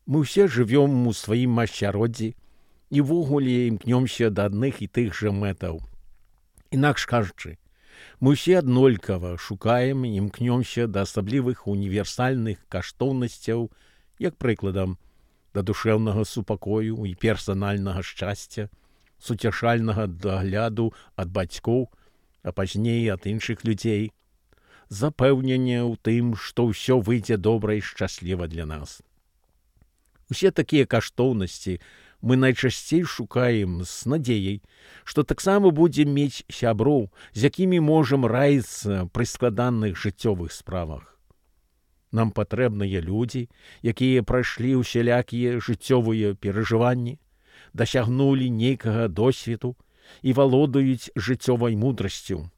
Мы ўсе жывём у сваім асяроддзі і ўвогуле імкнёмся да адных і тых жа мэтаў. Інакш кажучы, мы ўсе аднолькава шукаем і імкнёмся да асаблівых універсальных каштоўнасцяў, як прыкладам, да душэўнага супакою і персанальнага шчасця, суцяшальнага дагляду ад бацькоў, а пазней ад іншых людзей, запэўнення ў тым, што ўсё выйдзе добра і шчасліва для нас. Усе такія каштоўнасці мы найчасцей шукаем з надзеяй, што таксама будзем мець сяброў, з якімі можам раіцца пры складаных жыццёвых справах. Нам патрэбныя людзі, якія прайшлі ўсялякія жыццёвыя перажыванні, дасягнулі нейкага досведу і валодаюць жыццёвай мудрасцю.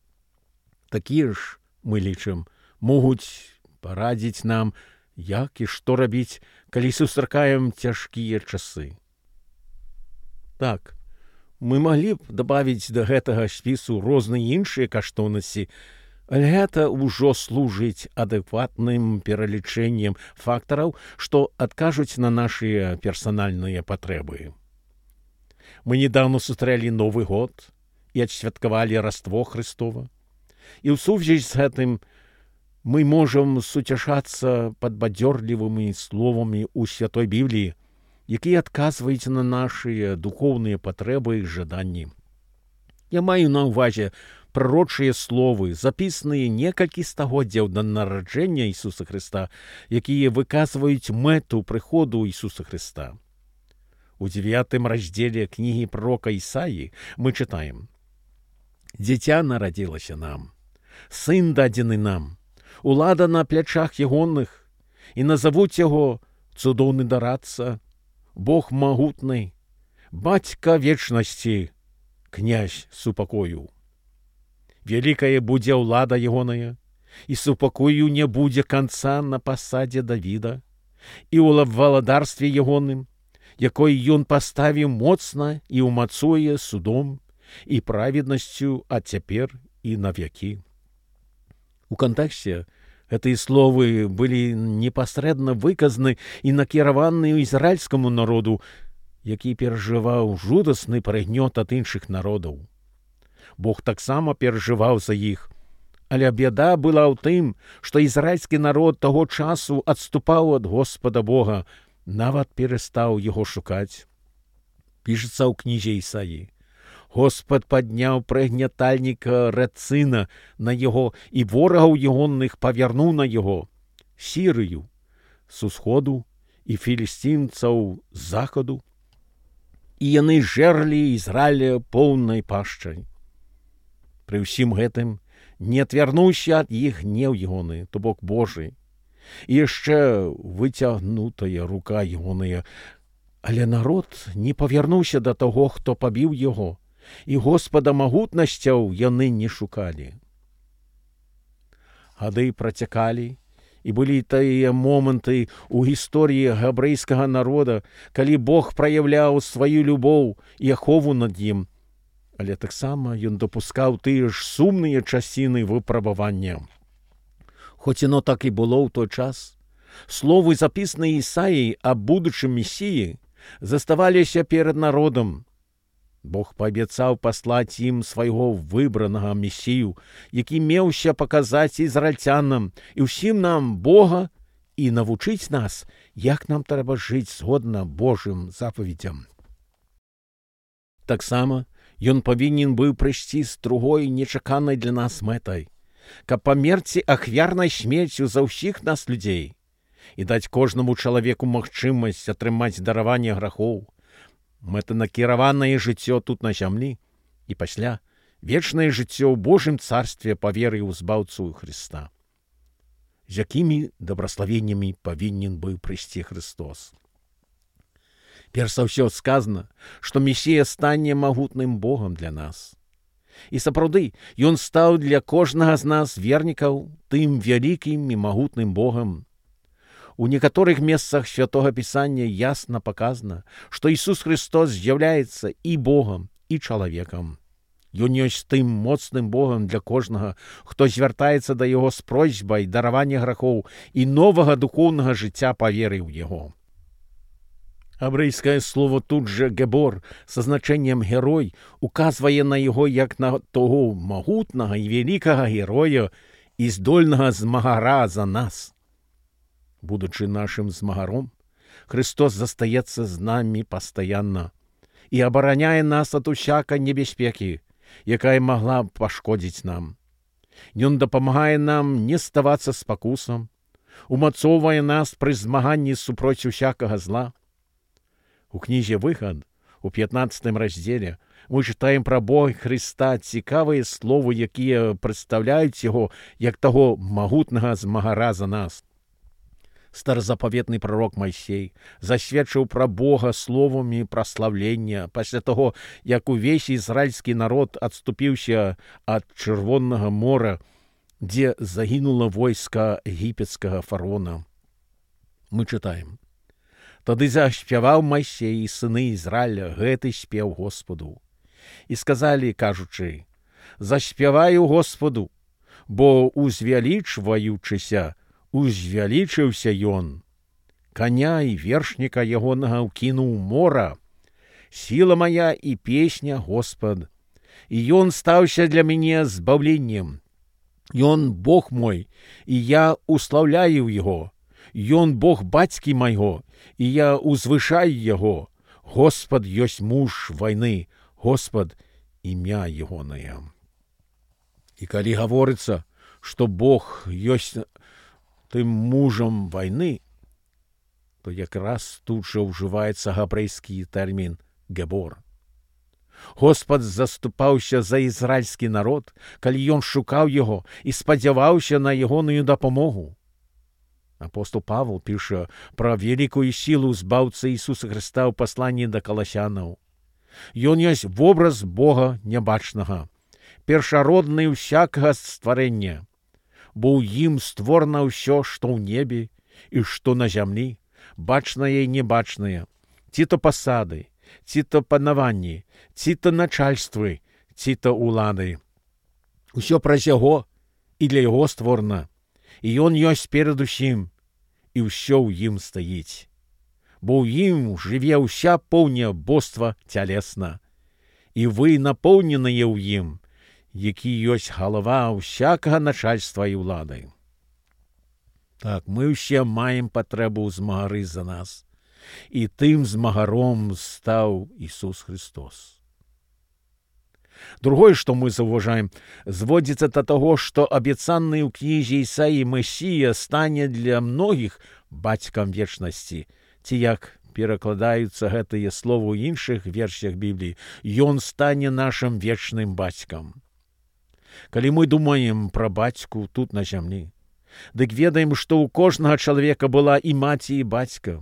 Такія ж, мы лічым, могуць парадзіць нам, як і што рабіць, калі сустракаем цяжкія часы. Так, мы маглі б дабавіць да гэтага спісу розныя іншыя каштоўнасці, але гэта ўжо служыць адэкватным пералічэннем фактараў, што адкажуць на нашыя персанальныя патрэбы. Мы недавно сустрэлі Новы год і адсвяткавалі Раство Хрыстова. І ў сувязі з гэтым мы можам суцяшацца падбадзёрлівымі словамі ў Святой Бібліі, якія адказваюць на нашыя духоўныя патрэбы і жаданні. Я маю на ўвазе прарочыя словы, запісаныя некалькі стагоддзяў да нараджэння Ісуса Хрыста, якія выказваюць мэту прыходу Ісуса Хрыста. У 9 раздзеле кнігі пророка Ісаі мы чытаем: «Дзіця нарадзілася нам, сын дадзены нам, улада на плячах ягоных, і назавуць яго цудоўны дарадца, Бог магутны, бацька вечнасці, князь супакою. Вялікая будзе ўлада ягоная, і супакою не будзе канца на пасадзе Давіда, і ў валадарстве ягоным, якой ён паставіў моцна і ўмацуе судом і праведнасцю ад цяпер і навякі». У кантэксце гэтыя словы былі непасрэдна выказаны і накіраваны ізраільскаму народу, які перажываў жудасны прыгнёт ад іншых народаў. Бог таксама перажываў за іх, але бяда была ў тым, што ізраільскі народ таго часу адступаў ад Господа Бога, нават перастаў яго шукаць. Пішацца ў кнізе Ісаі: «Господ падняў прыгнятальніка Рэцына на яго, і ворагаў ягоных павярнуў на яго, Сірыю з усходу і філістімцаў з захаду, і яны жэрлі Ізраіля поўнай пашчай. Пры ўсім гэтым не адвярнуўся ад іх гнеў ягоны, то бок Божы, і яшчэ выцягнутая рука ягоная, але народ не павярнуўся да таго, хто пабіў яго, і Господа магутнасцяў яны не шукалі». Гады працякалі, і былі тыя моманты ў гісторыі габрэйскага народа, калі Бог праяўляў сваю любоў і ахову над ім, але таксама ён дапускаў тыя ж сумныя часіны выпрабавання. Хоць яно так і было ў той час, словы, запісаныя Ісаіяй аб будучым Месіі, заставаліся перад народам. Бог паабяцаў паслаць ім свайго выбранага Месію, які меўся паказаць ізраільцянам і ўсім нам Бога і навучыць нас, як нам трэба жыць згодна Божым запаведзям. Таксама ён павінен быў прыйсці з другой нечаканай для нас мэтай, каб памерці ахвярнай смерцю за ўсіх нас людзей і даць кожнаму чалавеку магчымасць атрымаць дараванне грахоў, мэтанакіраванае жыццё тут на зямлі і пасля вечнае жыццё ў Божым царстве па веры ў збаўцу Хрыста. З якімі дабраславеннямі павінен быў прыйсці Христос? Перш за ўсё сказана, што Месія стане магутным Богам для нас. І сапраўды, ён стаў для кожнага з нас вернікаў тым вялікім і магутным Богам. У некаторых месцах Святога Пісання ясна паказана, што Ісус Христос з'яўляецца і Богам, і чалавекам. Ён ёсць тым моцным Богам для кожнага, хто звяртаецца да яго з просьбай даравання грахоў і новага духоўнага жыцця па веры ў яго. Габрэйскае слово тут же «гебор» со значением «герой» указвае на яго як на того магутнага і вялікага героя і здольнага змагара за нас. Будучы нашым змагаром, Христос застаецца з намі пастаянна і абараняе нас ад усякай небяспекі, якая магла б пашкодзіць нам. Ён дапамагае нам не ставацца спакусам, умацоўвае нас пры змаганні супроць усякага зла. У кнізе «Выхад» у 15 раздзеле мы чытаем пра Бога Хрыста цікавыя словы, якія прадстаўляюць яго як таго магутнага змагара за нас. Старазапаветны прарок Майсей засведчыў пра Бога словамі праслаўлення пасля таго, як увесь ізраільскі народ адступіўся ад Чырвонага мора, дзе загінула войска егіпецкага фараона. Мы чытаем: «Тады заспяваў Майсей і сыны Ізраіля гэты спеў Господу. І сказалі, кажучы: заспяваю Господу, бо узвялічваючыся, узвялічыўся ён. Каня і вершніка ягонага ўкінуў мора. Сіла моя і песня Господ. І ён стаўся для мяне збаўленнем. Ён Бог мой, і я услаўляю яго. Ён Бог бацькі майго, і я узвышаю яго. Господ ёсць муж вайны, Господ імя ягонае». І калі гаворыцца, што Бог ёсць тым мужам вайны, то якраз тут жа ўжываецца габрэйскі тэрмін «гебор». Господ заступаўся за ізраільскі народ, калі ён шукаў яго і спадзяваўся на ягоную дапамогу. Апостол Павел піша пра вялікую сілу збаўцы Ісуса Хрыста ў пасланні да каласянаў. Ён ёсць вобраз Бога нябачнага, першародны ўсякага стварэння, бо ў ім створана ўсё, што ў небе і што на зямлі, бачнае і небачнае, ці то пасады, ці то панаванні, ці то начальствы, ці то улады. Усё праз яго і для яго створана, і ён ёсць перад усім, і ўсё ў ім стаіць. Бо ў ім жыве ўся поўня боства цялесна, і вы напоўненыя ў ім, які ёсць галава ўсякага начальства і ўлады. Так, мы ўсе маем патрэбу ў змагары за нас, і тым змагаром стаў Ісус Христос. Другое, што мы заўважаем, зводзіцца да таго, што абяцаны ў кнізе Ісаіі Месія стане для многіх бацькам вечнасці, ці як перакладаюцца гэтыя словы ў іншых версіях Бібліі, ён стане нашым вечным бацькам. Калі мы думаем пра бацьку тут на зямлі, дык ведаем, што ў кожнага чалавека была і маці, і бацька.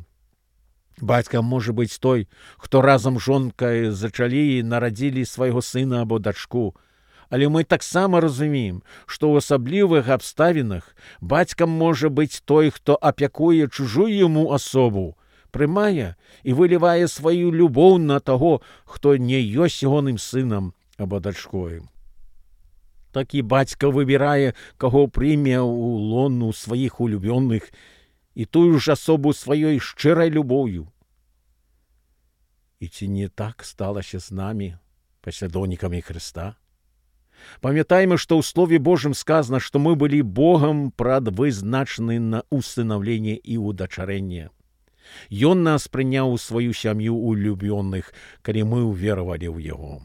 Бацька можа быць той, хто разам з жонкай зачалі і нарадзілі свайго сына або дачку. Але мы таксама разумеем, што ў асаблівых абставінах бацькам можа быць той, хто апякуе чужую яму асобу, прымае і вылівае сваю любоў на таго, хто не ёсць ягоным сынам або дачкою. Такі бацька выбірае, каго прыме ў лону сваіх улюбёных і тую ж асобу сваёй шчырай любоўю. І ці не так сталася з намі, паслядоўнікамі Хрыста? Памятаем, што ў Слове Божым сказана, што мы былі Богам прадвызначаны на усынаўленне і удачарэнне. Ён нас прыняў у сваю сям'ю улюбёных, калі мы ўверавалі ў Яго.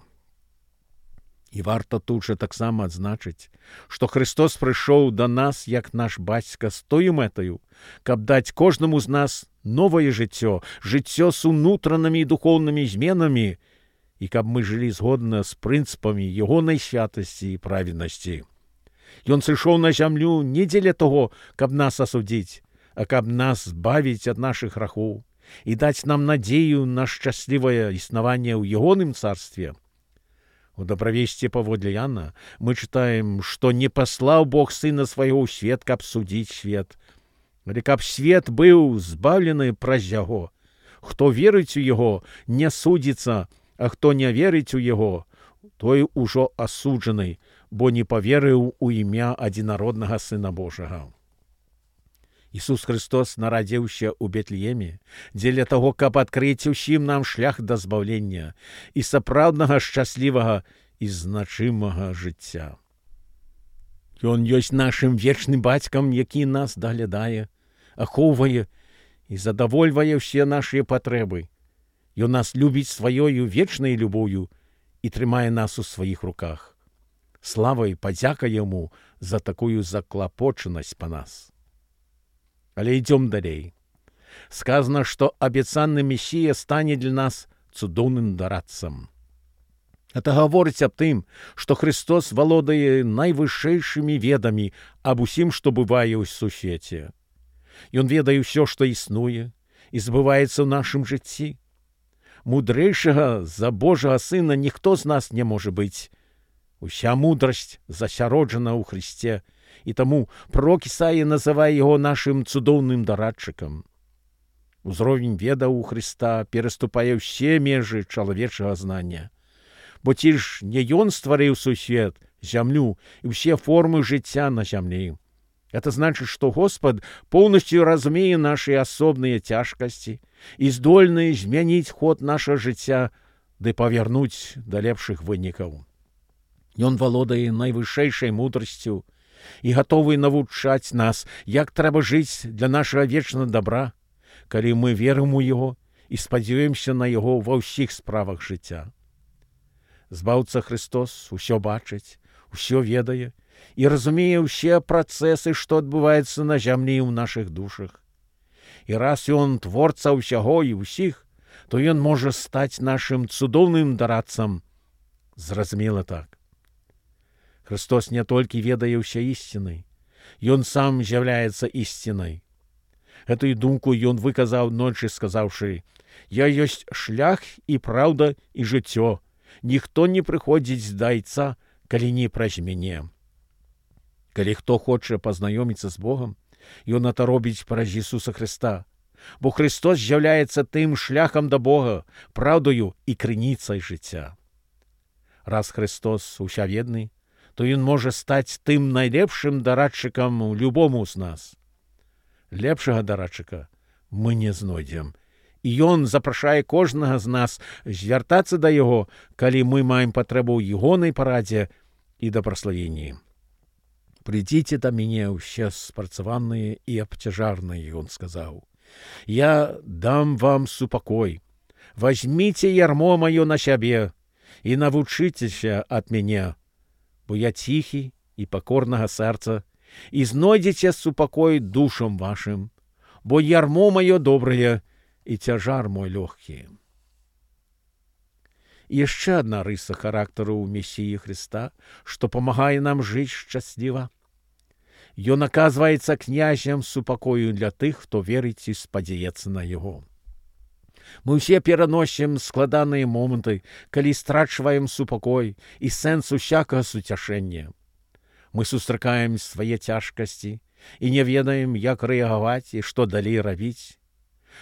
І варта тут жа таксама адзначыць, што Христос прыйшоў да нас як наш бацька з тою мэтаю, каб даць кожнаму з нас новае жыццё, жыццё з унутранымі і духоўнымі зменамі, і каб мы жылі згодна з прынцыпамі ягонай святасці і праведнасці. Ён сышоў на зямлю не дзеля таго, каб нас асудзіць, а каб нас збавіць ад нашых грахоў і даць нам надзею на шчаслівае існаванне ў ягоным царстве. У дабравесці паводле Яна мы чытаем, што не паслаў Бог сына свайго ў свет, каб судзіць свет, але каб свет быў збаўлены праз яго. Хто верыць у яго, не судзіцца, а хто не верыць у яго, той ужо асуджаны, бо не паверыў у імя адзінароднага Сына Божага. Ісус Христос нарадзіўся ў Бетлееме дзеля таго, каб адкрыць усім нам шлях да збаўлення і сапраўднага шчаслівага і значымага жыцця. Ён ёсць нашым вечным бацькам, які нас даглядае, ахоўвае і задавольвае ўсе нашыя патрэбы. Ён нас любіць сваёю вечнай любоўю і трымае нас у сваіх руках. Слава і падзяка яму за такую заклапочанасць па нас. Але ідём далей. Сказано, што абяцаны Месія стане для нас цудоўным дарадцам. Это гаворыць аб тым, што Христос валодае найвышэйшымі ведамі аб усім, што бывае ў сусвеце. Ён ведае ўсё, што існуе і збываецца ў нашым жыцці. Мудрэйшага за Божага Сына ніхто з нас не можа быць. Уся мудрасць засяроджана ў Христе, і таму пророк Ісая называе яго нашым цудоўным дарадчыкам. Узровень ведаў у Христа пераступае ўсе межы чалавечага знання. Бо ці ж не ён стварыў сусвет, зямлю і ўсе формы жыцця на зямлі. Это значыць, што Господ поўнасцю разумее нашы асобныя цяжкасці і здольны змяніць ход нашага жыцця ды павярнуць да лепшых вынікаў. Ён валодае найвышэйшай мудрасцю і гатовы навучаць нас, як трэба жыць для нашага вечнага дабра, калі мы верым у яго і спадзяёмся на яго ва ўсіх справах жыцця. Збаўца Христос усё бачыць, усё ведае і разумее ўсе працэсы, што адбываюцца на зямлі ў нашых душах. І раз ён творца ўсяго і ўсіх, то ён можа стаць нашым цудоўным дарадцам. Зразумела так. Христос не толькі ведае ўсе ісціны, ён сам з'яўляецца ісцінай. Гэтую думку ён выказаў ночы, сказаўшы: «Я ёсць шлях і праўда і жыццё. Ніхто не прыходзіць да Айца, калі не праз мяне». Калі хто хоча пазнаёміцца з Богам, ён это робіць праз Ісуса Христа, бо Христос з'яўляецца тым шляхам да Бога, праўдаю і крыніцай жыцця. Раз Христос усяведны, то ён можа стаць тым найлепшым дарадчыкам любому з нас. Лепшага дарадчыка мы не знойдзем, і ён запрашае кожнага з нас звяртацца да яго, калі мы маем патрэбу ў ягонай парадзе і дабраславенні. «Придите до меня все спрацаванные и обтяжарные», — он сказал. «Я дам вам супокой. Возьмите ярмо мое на себе и навучитеся от меня, бо я тихий и покорного сердца, и знойдете супокой душам вашим, бо ярмо мое доброе и тяжар мой легкий». І яшчэ адна рыса характару ў Месіі Христа, што памагае нам жыць шчасліва. Ён аказваецца князем супакою для тых, хто верыць і спадзяецца на яго. Мы ўсе пераносім складаныя моманты, калі страчваем супакой і сэнс усякага суцяшэння. Мы сустракаем свае цяжкасці і не ведаем, як рэагаваць і што далей рабіць.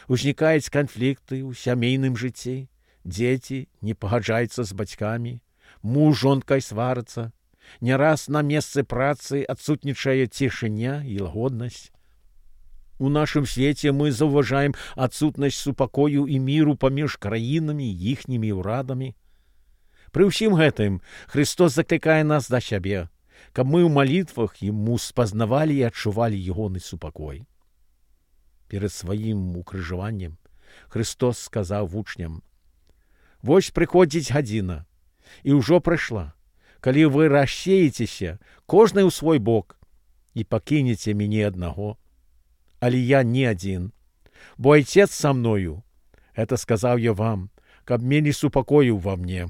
Узнікаюць канфлікты ў сямейным жыцці, дзеці не пагаджаюцца з бацькамі, муж жонкай сварацца, не раз на месцы працы адсутнічае цішыня і лагоднасць. У нашым свеце мы заўважаем адсутнасць супакою і міру паміж краінамі і іхнімі ўрадамі. Пры ўсім гэтым Христос заклікае нас да сябе, каб мы ў малітвах Яму спазнавалі і адчувалі ягоны супакой. Перад сваім укрыжаваннем Христос сказаў вучням: «Вось прыходзіць гадзіна, і ўжо прыйшла, калі вы рассеецеся, кожны ў свой бок, і пакінеце мяне аднаго. Але я не адзін, бо Айцец са мною. Это сказаў я вам, каб мелі супакою ва мне.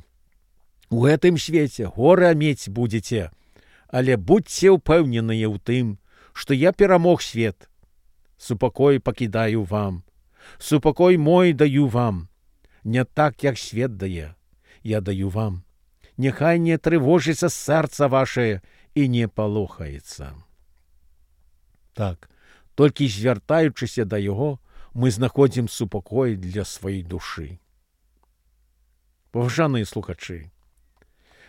У гэтым свеце гора мець будзеце, але будзьце ўпэўненыя ў тым, што я перамог свет. Супакой пакідаю вам, супакой мой даю вам. Не так, як свет дае, я даю вам. Няхай не трывожыцца сэрца ваше і не палохаецца». Так, толькі звяртаючыся да яго, мы знаходзім супакой для сваёй душы. Паважаныя слухачы,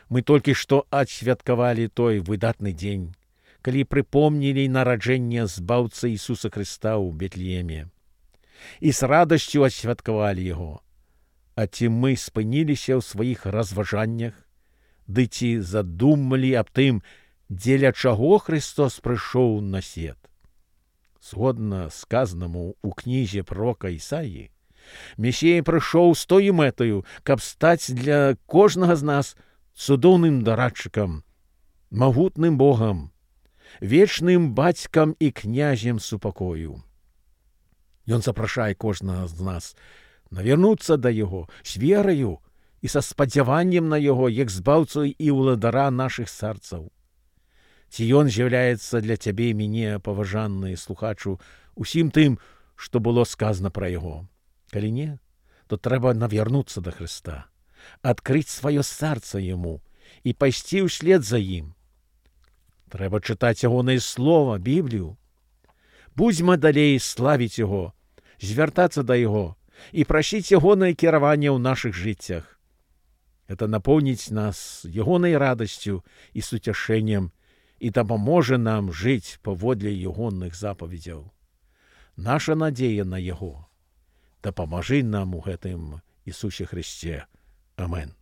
мы толькі што адсвяткавалі той выдатны дзень, калі прыпомнілі нараджэнне збаўцы Ісуса Хрыста ў Бетлееме і з радасцю асвяткавалі яго. А ці мы спыніліся ў сваіх разважаннях, ды ці задумалі аб тым, дзеля чаго Христос прыйшоў на свет? Згодна сказанаму ў кнізе пророка Ісаі, Месія прыйшоў з тою мэтаю, каб стаць для кожнага з нас цудоўным дарадчыкам, магутным Богам, вечным бацькам і князем супакою. Ён запрашае кожнага з нас навярнуцца да Яго з вераю і са спадзяваннем на Яго, як збаўцу і ўладара нашых сэрцаў. Ці ён з'яўляецца для цябе і мяне, паважаны слухачу, усім тым, што было сказана пра Яго? Калі не, то трэба навярнуцца да Хрыста, адкрыць сваё сэрца Яму і пайсці ўслед за ім. Трэба чытаць ягонае слова, Біблію. Будзьма далей славіць Яго, звяртацца да Яго і прасіць ягонае кіраванне ў нашых жыццях. Гэта напоўніць нас ягонай радасцю і суцяшэннем і дапаможа нам жыць паводле ягоных запаведзяў. Наша надзея на Яго. Дапамажы нам у гэтым Ісусе Христе. Амен.